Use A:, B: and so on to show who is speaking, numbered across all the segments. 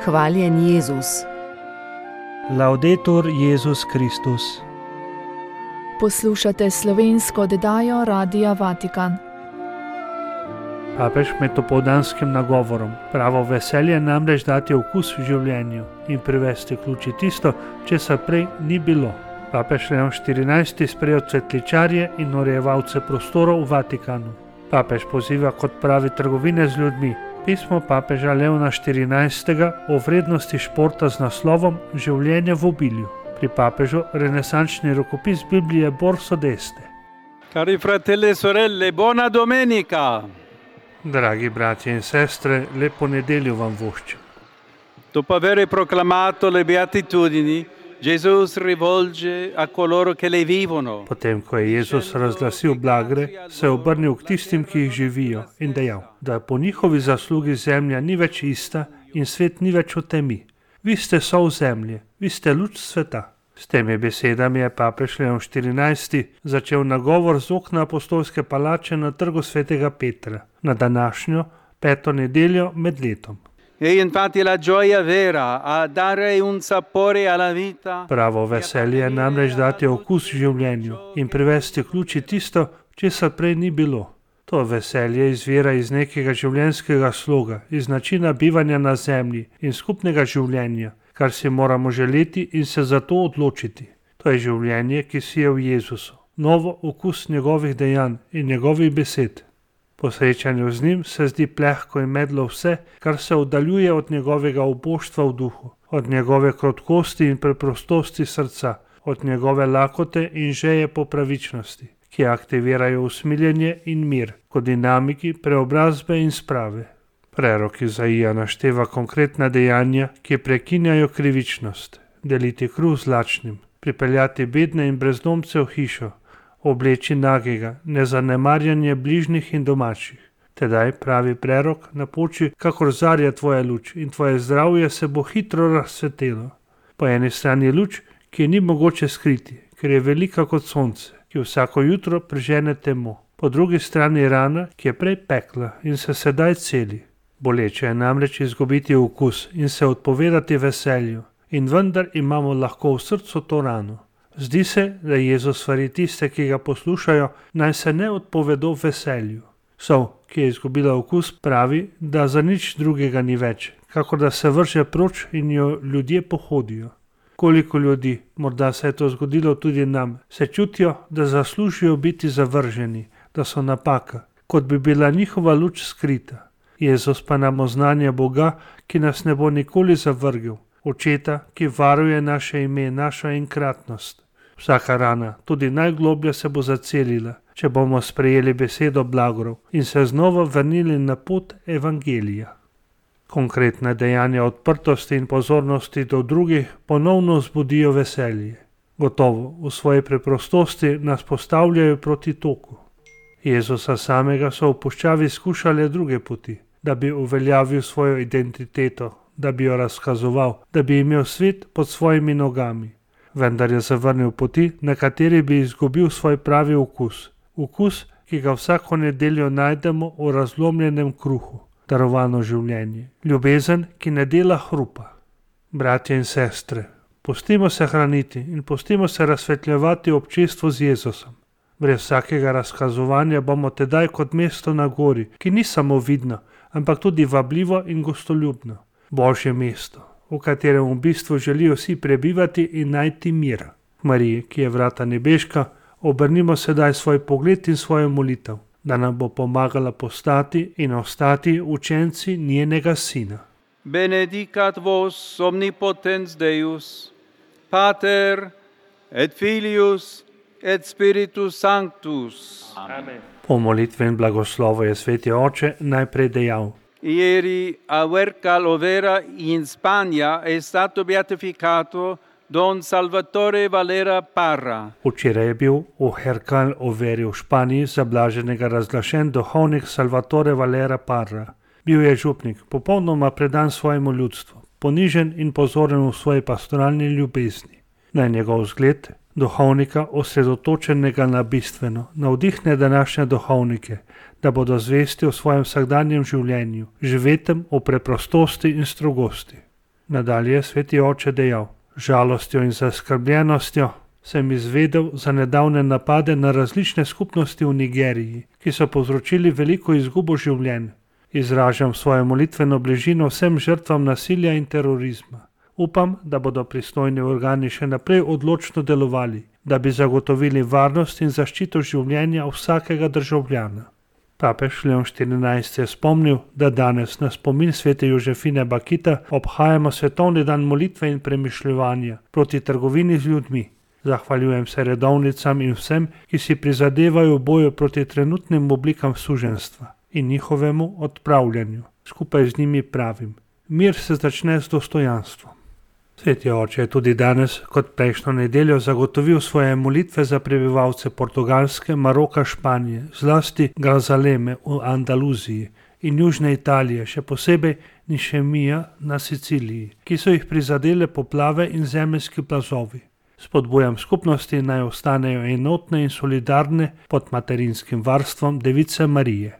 A: Hvaljen Jezus.
B: Laudetur Jezus Kristus.
C: Poslušate slovensko oddajo Radia Vatikan.
B: Papež med opoldanskim nagovorom: pravo veselje namreč dati okus v življenju in privesti k luči tisto, česar prej ni bilo. Papež Leon XIV sprejel cvetličarje in urejevalce prostorov v Vatikanu. Papež poziva k odpravi trgovine z ljudmi. Pismo papeža Leona XIV o vrednosti športa z naslovom Življenje v obilju. Pri papežu renesančni rokopis Biblije Borso d'Este.
D: Cari fratelli e sorelle, buona domenica!
B: Dragi bratje in sestre, lepo nedeljo vam voščim.
D: Dopo aver proclamato le beatitudini, Gesù si rivolge a coloro che le vivono.
B: Potem, ko je Jezus razglasil blagre, se je obrnil k tistim, ki jih živijo, in dejal, da po njihovi zaslugi zemlja ni več ista in svet ni več v temi. Vi ste sol zemlje, vi ste luč sveta. S temi besedami je papež Leon XIV začel nagovor z okna apostolske palače na trgu svetega Petra, na današnjo 5. nedeljo med letom.
D: E infatti la gioia vera a dare un sapore alla vita.
B: Pravo veselje je namreč dati okus življenju in privesti k luči tisto, česar prej ni bilo. To veselje izvira iz nekega življenjskega sloga, iz načina bivanja na zemlji in skupnega življenja, kar si moramo želeti in se za to odločiti. To je življenje, ki si je v Jezusu, novo okus njegovih dejanj in njegovih besed. Po srečanju z njim se zdi plehko in medlo vse, kar se oddaljuje od njegovega uboštva v duhu, od njegove krotkosti in preprostosti srca, od njegove lakote in žeje po pravičnosti, ki aktivirajo usmiljenje in mir kot dinamiki preobrazbe in sprave. Prerok Izaija našteva konkretna dejanja, ki prekinjajo krivičnost: deliti kruh z lačnim, pripeljati bedne in brezdomce v hišo, obleči nagega, nezanemarjanje bližnjih in domačih. Tedaj, pravi prerok, napoči, kakor zarja tvoja luč in tvoje zdravje se bo hitro razsvetelo. Po eni strani luč, ki ni mogoče skriti, ker je velika kot sonce, ki vsako jutro prežene temo. Po drugi strani rana, ki je prej pekla in se sedaj celi. Boleče je namreč izgubiti okus in se odpovedati veselju, in vendar imamo lahko v srcu to rano. Zdi se, da Jezus svari tiste, ki ga poslušajo, naj se ne odpovedo veselju. Sol, ki je izgubila okus, pravi, da za nič drugega ni več, kakor da se vrže proč in jo ljudje pohodijo. Koliko ljudi, morda se je to zgodilo tudi nam, se čutijo, da zaslužijo biti zavrženi, da so napaka, kot bi bila njihova luč skrita. Jezus pa nam oznanja Boga, ki nas ne bo nikoli zavrgel, Očeta, ki varuje naše ime, našo enkratnost. Vsaka rana, tudi najgloblja, se bo zacelila, če bomo sprejeli besedo blagorov in se znova vrnili na pot evangelija. Konkretna dejanja odprtosti in pozornosti do drugih ponovno vzbudijo veselje. Gotovo, v svoji preprostosti nas postavljajo proti toku. Jezusa samega so v puščavi skušale druge poti, da bi uveljavil svojo identiteto, da bi jo razkazoval, da bi imel svet pod svojimi nogami. Vendar je zavrnil poti, na kateri bi izgubil svoj pravi okus. Okus, ki ga vsako nedeljo najdemo v razlomljenem kruhu, darovano življenje. Ljubezen, ki ne dela hrupa. Bratje in sestre, pustimo se hraniti in pustimo se razsvetljevati v občestvu z Jezusom. Brez vsakega razkazovanja bomo tedaj kot mesto na gori, ki ni samo vidno, ampak tudi vabljivo in gostoljubno. Božje mesto, v katerem v bistvu želijo vsi prebivati in najti mir. Mariji, ki je vrata nebeška, obrnimo sedaj svoj pogled in svojo molitev, da nam bo pomagala postati in ostati učenci njenega Sina.
D: Benedicat vos omnipotens Deus, Pater et Filius et Spiritus Sanctus.
B: Amen. Po molitvi in blagoslovu je Sveti Oče najprej dejal:
D: Ieri a Huércal Overa in Spagna è stato beatificato Don Salvatore Valera Parra.
B: Včeraj je bil v Huércal Overi v Španiji za blaženega razglašen duhovnik Salvatore Valera Parra. Bil je župnik, popolnoma predan svojemu ljudstvu, ponižen in pozoren v svoji pastoralni ljubezni. Naj njegov zgled, duhovnika osredotočenega na bistveno, navdihne današnje duhovnike, da bodo zvesti v svojem vsakdanjem življenju, živetem v preprostosti in strogosti. Nadalje je sveti oče dejal: žalostjo in zaskrbljenostjo sem izvedel za nedavne napade na različne skupnosti v Nigeriji, ki so povzročili veliko izgubo življenj. Izražam svojo molitveno bližino vsem žrtvam nasilja in terorizma. Upam, da bodo pristojni organi še naprej odločno delovali, da bi zagotovili varnost in zaščito življenja vsakega državljana. Papež Leon XIV je spomnil, da danes na spomin svete Jožefine Bakita obhajamo svetovni dan molitve in premišljevanja proti trgovini z ljudmi. Zahvaljujem se redovnicam in vsem, ki si prizadevajo v boju proti trenutnim oblikam suženjstva in njihovemu odpravljanju. Skupaj z njimi pravim: mir se začne z dostojanstvom. Sveti oče je tudi danes, kot prejšnjo nedeljo, zagotovil svoje molitve za prebivalce Portugalske, Maroka, Španije, zlasti Grazaleme v Andaluziji in južne Italije, še posebej Nišemija na Siciliji, ki so jih prizadele poplave in zemeljski plazovi. Spodbujam skupnosti, naj ostanejo enotne in solidarne pod materinskim varstvom Device Marije.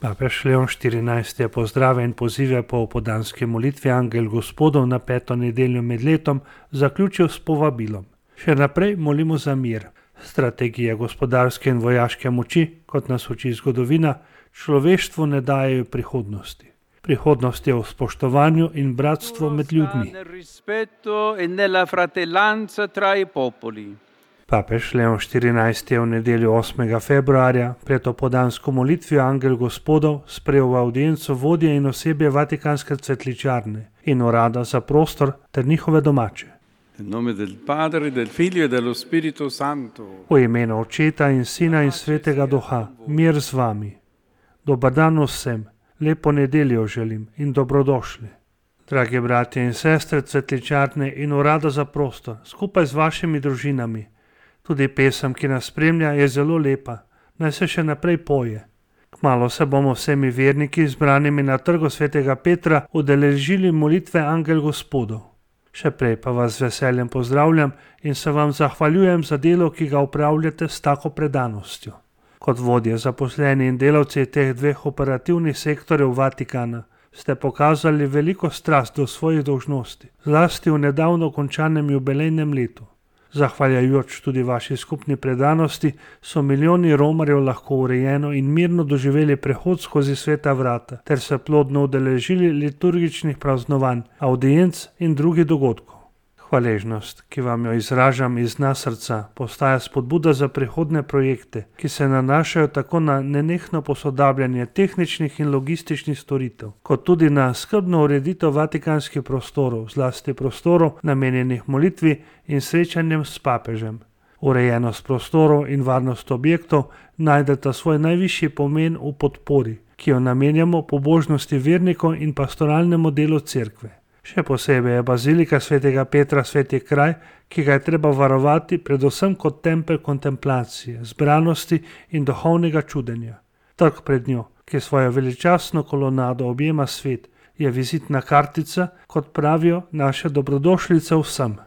B: Papež Leon XIV je pozdrave in pozive po opoldanski molitvi Angel Gospodov na 5. nedeljo med letom zaključil s povabilom: še naprej molimo za mir. Strategije gospodarske in vojaške moči, kot nas uči zgodovina, človeštvu ne dajejo prihodnosti. Prihodnost je v spoštovanju in bratstvu med ljudmi. Papež Leon XIV je v nedeljo 8. februarja pred opoldansko molitvijo Angel Gospodov sprejel v avdienco vodje in osebje Vatikanske cvetličarne in urada za prostor ter njihove domače. V imenu Očeta in Sina in Svetega Duha, mir z vami. Dober dan vsem, lepo nedeljo želim in dobrodošli. Dragi bratje in sestre cvetličarne in urada za prostor, skupaj z vašimi družinami. Tudi pesem, ki nas spremlja, je zelo lepa, naj se še naprej poje. Kmalu se bomo vsemi verniki zbranimi na trgu svetega Petra udeležili molitve Angel Gospodov. Še prej pa vas z veseljem pozdravljam in se vam zahvaljujem za delo, ki ga upravljate s tako predanostjo. Kot vodje zaposleni in delavci teh dveh operativnih sektorjev Vatikana ste pokazali veliko strast do svojih dolžnosti, zlasti v nedavno končanem jubilejnem letu. Zahvaljujoč tudi vaši skupni predanosti so milijoni romarjev lahko urejeno in mirno doživeli prehod skozi sveta vrata ter se plodno udeležili liturgičnih praznovanj, avdienc in drugih dogodkov. Hvaležnost, ki vam jo izražam iz dna srca, postaja spodbuda za prihodne projekte, ki se nanašajo tako na nenehno posodabljanje tehničnih in logističnih storitev, kot tudi na skrbno ureditev vatikanskih prostorov, zlasti prostorov namenjenih molitvi in srečanjem s papežem. Urejenost prostorov in varnost objektov najdeta svoj najvišji pomen v podpori, ki jo namenjamo pobožnosti vernikov in pastoralnemu delu cerkve. Še posebej je bazilika svetega Petra sveti kraj, ki ga je treba varovati predvsem kot tempelj kontemplacije, zbranosti in duhovnega čudenja. Trg pred njo, ki svojo veličastno kolonado objema svet, je vizitna kartica, kot pravijo, naše dobrodošlice vsem.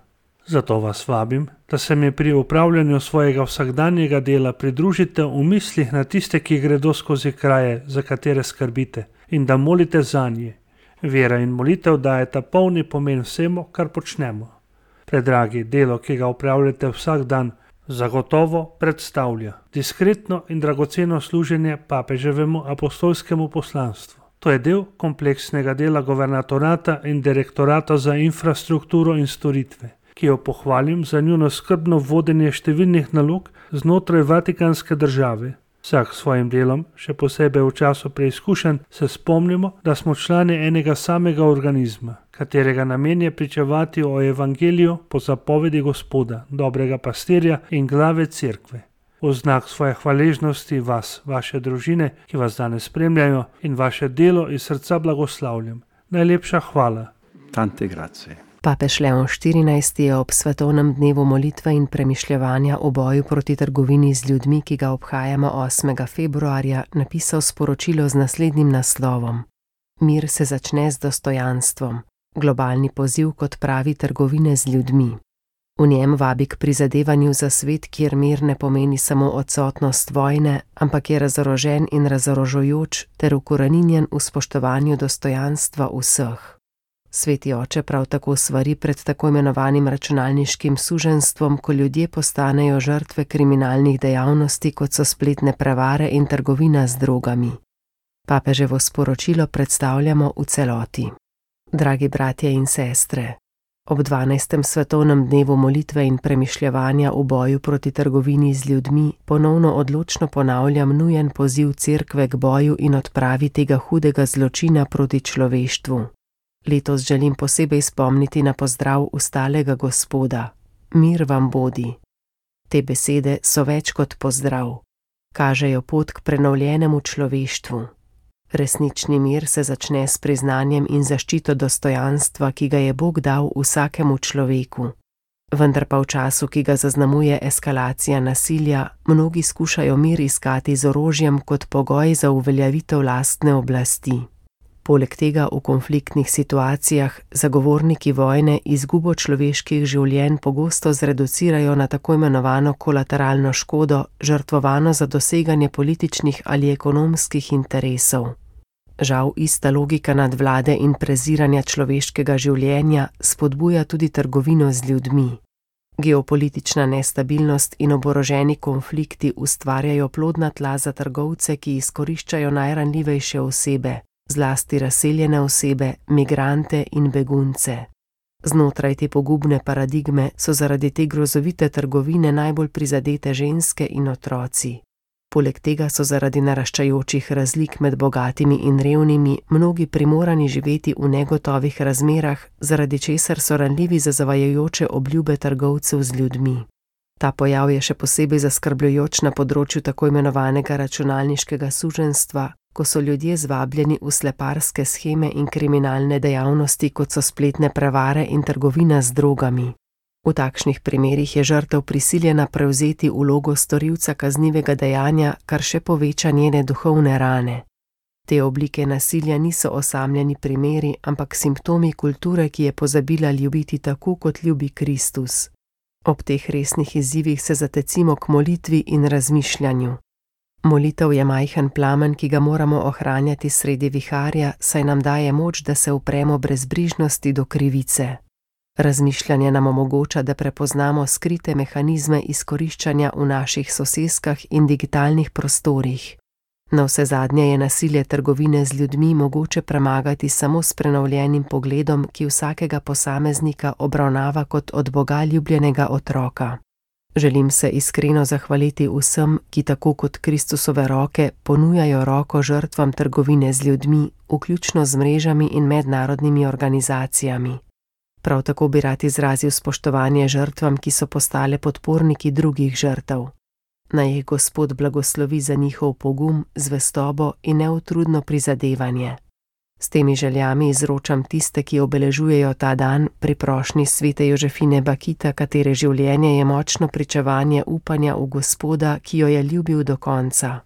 B: Zato vas vabim, da se mi pri upravljanju svojega vsakdanjega dela pridružite v mislih na tiste, ki gredo skozi kraje, za katere skrbite, in da molite zanje. Vera in molitev dajeta polni pomen vsemu, kar počnemo. Predragi, delo, ki ga upravljate vsak dan, zagotovo predstavlja diskretno in dragoceno služenje papeževemu apostolskemu poslanstvu. To je del kompleksnega dela guvernatorata in direktorata za infrastrukturo in storitve, ki jo pohvalim za njuno skrbno vodenje številnih nalog znotraj vatikanske države. Vsak s svojim delom, še posebej v času preizkušenj, se spomnimo, da smo člani enega samega organizma, katerega namen je pričevati o evangeliju po zapovedi Gospoda, dobrega pastirja in glave cerkve. V znak svoje hvaležnosti vas, vaše družine, ki vas danes spremljajo, in vaše delo iz srca blagoslavljam. Najlepša hvala.
D: Tante grazie.
A: Papež Leon XIV je ob svetovnem dnevu molitve in premišljevanja o boju proti trgovini z ljudmi, ki ga obhajamo 8. februarja, napisal sporočilo z naslednjim naslovom: Mir se začne z dostojanstvom, globalni poziv k odpravi trgovine z ljudmi. V njem vabi k prizadevanju za svet, kjer mir ne pomeni samo odsotnost vojne, ampak je razorožen in razorožujoč ter ukoreninjen v spoštovanju dostojanstva vseh. Sveti oče prav tako svari pred tako imenovanim računalniškim suženjstvom, ko ljudje postanejo žrtve kriminalnih dejavnosti, kot so spletne prevare in trgovina z drogami. Papeževo sporočilo predstavljamo v celoti. Dragi bratje in sestre, ob 12. svetovnem dnevu molitve in premišljevanja v boju proti trgovini z ljudmi ponovno odločno ponavljam nujen poziv Cerkve k boju in odpravi tega hudega zločina proti človeštvu. Letos želim posebej spomniti na pozdrav ustalega Gospoda. Mir vam bodi. Te besede so več kot pozdrav. Kažejo pot k prenovljenemu človeštvu. Resnični mir se začne s priznanjem in zaščito dostojanstva, ki ga je Bog dal vsakemu človeku. Vendar pa v času, ki ga zaznamuje eskalacija nasilja, mnogi skušajo mir iskati z orožjem kot pogoj za uveljavitev lastne oblasti. Poleg tega v konfliktnih situacijah zagovorniki vojne izgubo človeških življenj pogosto zreducirajo na tako imenovano kolateralno škodo, žrtvovano za doseganje političnih ali ekonomskih interesov. Žal ista logika nadvlade in preziranja človeškega življenja spodbuja tudi trgovino z ljudmi. Geopolitična nestabilnost in oboroženi konflikti ustvarjajo plodna tla za trgovce, ki izkoriščajo najranljivejše osebe, zlasti razseljene osebe, migrante in begunce. Znotraj te pogubne paradigme so zaradi te grozovite trgovine najbolj prizadete ženske in otroci. Poleg tega so zaradi naraščajočih razlik med bogatimi in revnimi mnogi primorani živeti v negotovih razmerah, zaradi česar so ranljivi za zavajajoče obljube trgovcev z ljudmi. Ta pojav je še posebej zaskrbljujoč na področju tako imenovanega računalniškega suženjstva, ko so ljudje zvabljeni v sleparske sheme in kriminalne dejavnosti, kot so spletne prevare in trgovina z drogami. V takšnih primerih je žrtev prisiljena prevzeti vlogo storilca kaznivega dejanja, kar še poveča njene duhovne rane. Te oblike nasilja niso osamljeni primeri, ampak simptomi kulture, ki je pozabila ljubiti tako, kot ljubi Kristus. Ob teh resnih izzivih se zatecimo k molitvi in razmišljanju. Molitev je majhen plamen, ki ga moramo ohranjati sredi viharja, saj nam daje moč, da se upremo brezbrižnosti do krivice. Razmišljanje nam omogoča, da prepoznamo skrite mehanizme izkoriščanja v naših soseskah in digitalnih prostorih. Navsezadnje je nasilje trgovine z ljudmi mogoče premagati samo s prenovljenim pogledom, ki vsakega posameznika obravnava kot od Boga ljubljenega otroka. Želim se iskreno zahvaliti vsem, ki tako kot Kristusove roke ponujajo roko žrtvam trgovine z ljudmi, vključno z mrežami in mednarodnimi organizacijami. Prav tako bi rad izrazil spoštovanje žrtvam, ki so postale podporniki drugih žrtev. Naj jih Gospod blagoslovi za njihov pogum, zvestobo in neutrudno prizadevanje. S temi željami izročam tiste, ki obeležujejo ta dan pri prošnji svete Jožefine Bakita, katere življenje je močno pričevanje upanja v Gospoda, ki jo je ljubil do konca.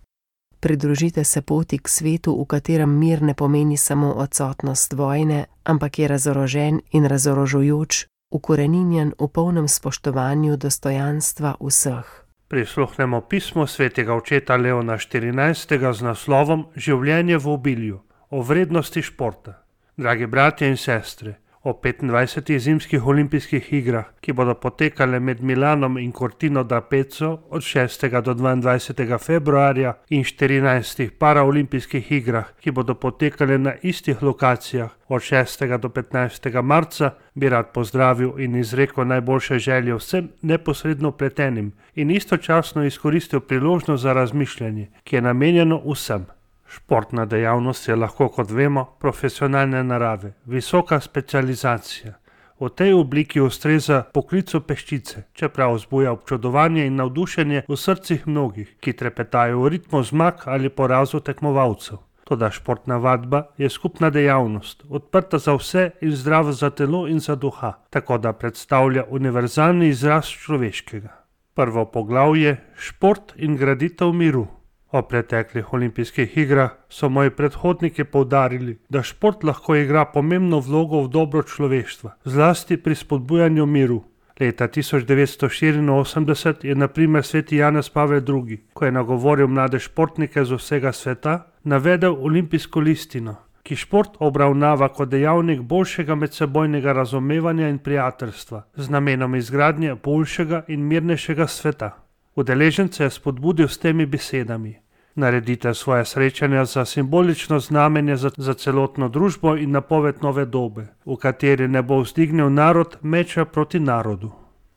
A: Pridružite se poti k svetu, v katerem mir ne pomeni samo odsotnost vojne, ampak je razorožen in razorožujoč, ukoreninjen v polnem spoštovanju dostojanstva vseh.
B: Prisluhnemo pismo svetega očeta Leona XIV. Z naslovom Življenje v obilju, o vrednosti športa. Dragi bratje in sestre, o 25. zimskih olimpijskih igrah, ki bodo potekale med Milanom in Cortino d'Ampezzo od 6. do 22. februarja in 14. paraolimpijskih igrah, ki bodo potekale na istih lokacijah od 6. do 15. marca, bi rad pozdravil in izrekel najboljše želje vsem neposredno vpletenim in istočasno izkoristil priložnost za razmišljanje, ki je namenjeno vsem. Športna dejavnost je lahko, kot vemo, profesionalne narave, visoka specializacija. V tej obliki ustreza poklicu peščice, čeprav vzbuja občudovanje in navdušenje v srcih mnogih, ki trepetajo v ritmu zmag ali porazu tekmovalcev. Toda športna vadba je skupna dejavnost, odprta za vse in zdrava za telo in za duha, tako da predstavlja univerzalni izraz človeškega. Prvo poglavje: šport in graditev miru. O preteklih olimpijskih igrah so moji predhodniki poudarili, da šport lahko igra pomembno vlogo v dobro človeštva, zlasti pri spodbujanju miru. Leta 1984 je na primer sveti Janez Pavel II., ko je nagovoril mlade športnike z vsega sveta, navedel olimpijsko listino, ki šport obravnava kot dejavnik boljšega medsebojnega razumevanja in prijateljstva z namenom izgradnje boljšega in mirnejšega sveta. Udeležence je spodbudil s temi besedami: naredite svoje srečanja za simbolično znamenje za celotno družbo in napoved nove dobe, v kateri ne bo vzdignil narod meča proti narodu.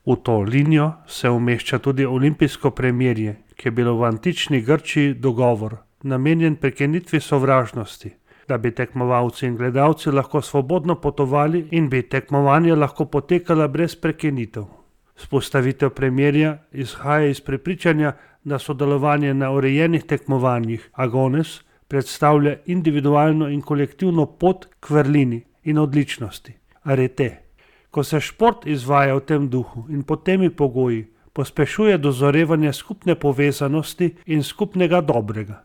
B: V to linijo se umešča tudi olimpijsko premirje, ki je bilo v antični Grčiji dogovor, namenjen prekinitvi sovražnosti, da bi tekmovalci in gledalci lahko svobodno potovali in bi tekmovanje lahko potekala brez prekinitev. Vzpostavitev premirja izhaja iz prepričanja, da sodelovanje na urejenih tekmovanjih agones predstavlja individualno in kolektivno pot k vrlini in odličnosti, arete. Ko se šport izvaja v tem duhu in pod temi pogoji, pospešuje dozorevanje skupne povezanosti in skupnega dobrega.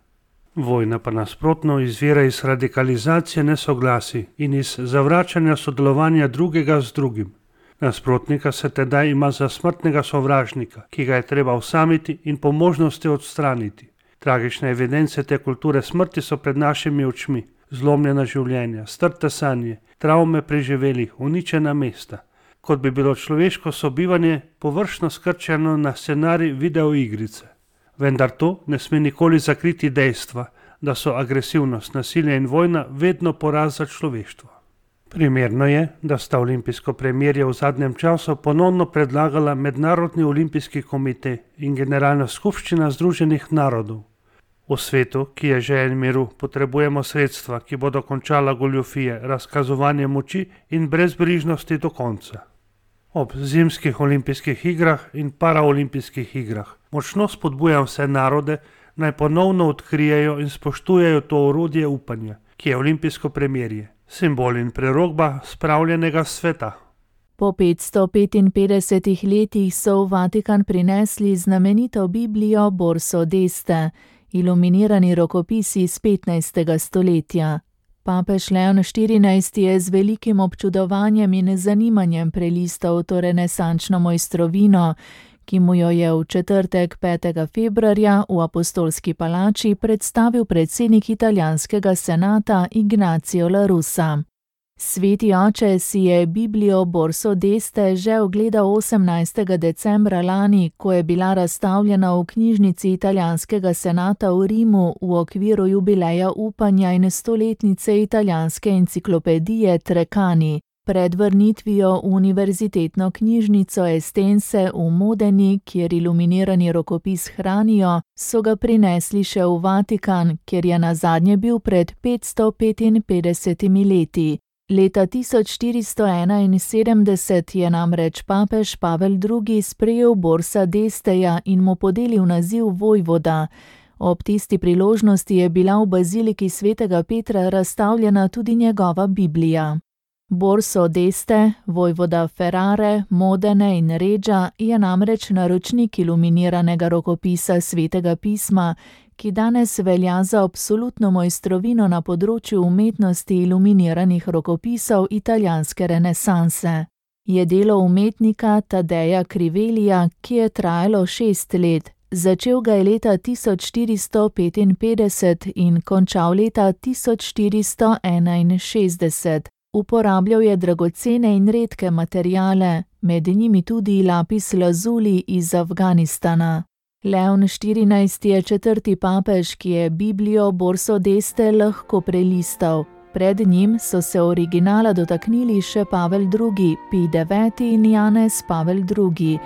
B: Vojna pa nasprotno izvira iz radikalizacije nesoglasij in iz zavračanja sodelovanja drugega z drugim. Nasprotnika se tedaj ima za smrtnega sovražnika, ki ga je treba osamiti in po možnosti odstraniti. Tragične evidence te kulture smrti so pred našimi očmi. Zlomljena življenja, strte sanje, travme preživelih, uničena mesta. Kot bi bilo človeško sobivanje površno skrčeno na scenarij videoigrice. Vendar to ne sme nikoli zakriti dejstva, da so agresivnost, nasilje in vojna vedno poraz za človeštvo. Primerno je, da sta olimpijsko premirje v zadnjem času ponovno predlagala Mednarodni olimpijski komite in Generalna skupščina Združenih narodov. V svetu, ki je željen miru, potrebujemo sredstva, ki bodo končala goljufije, razkazovanje moči in brezbrižnosti do konca. Ob zimskih olimpijskih igrah in paraolimpijskih igrah močno spodbujam vse narode, naj ponovno odkrijejo in spoštujejo to orodje upanja, ki je olimpijsko premirje, simbol in prerokba spravljenega sveta.
C: Po 555 letih so v Vatikan prinesli znamenito Biblijo Borso d'Este, iluminirani rokopis iz 15. stoletja. Papež Leon XIV je z velikim občudovanjem in zanimanjem prelistal to renesančno mojstrovino, ki mu jo je v četrtek 5. februarja v Apostolski palači predstavil predsednik italijanskega senata Ignacio La Russa. Sveti oče si je Biblijo Borso d'Este že ogledal 18. decembra lani, ko je bila razstavljena v knjižnici italijanskega senata v Rimu v okviru jubileja upanja in 100-letnice italijanske enciklopedije Treccani. Pred vrnitvijo v univerzitetno knjižnico Estense v Modeni, kjer iluminirani rokopis hranijo, so ga prinesli še v Vatikan, kjer je nazadnje bil pred 555 leti. Leta 1471 je namreč papež Pavel II. Sprejel Borsa d'Esteja in mu podelil naziv vojvoda. Ob tisti priložnosti je bila v baziliki svetega Petra razstavljena tudi njegova Biblija. Borso d'Este, vojvoda Ferrare, Modene in Reggia, je namreč naročnik iluminiranega rokopisa svetega pisma, ki danes velja za absolutno mojstrovino na področju umetnosti iluminiranih rokopisov italijanske renesanse. Je delo umetnika Tadeja Crivelija, ki je trajalo 6 let. Začel ga je leta 1455 in končal leta 1461. Uporabljal je dragocene in redke materiale, med njimi tudi lapis lazuli iz Afganistana. Leon XIV. Je četrti papež, ki je Biblijo Borso d'Este lahko prelistal. Pred njim so se originala dotaknili še Pavel II., Pij IX. In Janez Pavel II.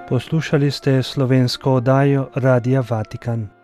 E: Poslušali ste slovensko oddajo Radia Vatikan.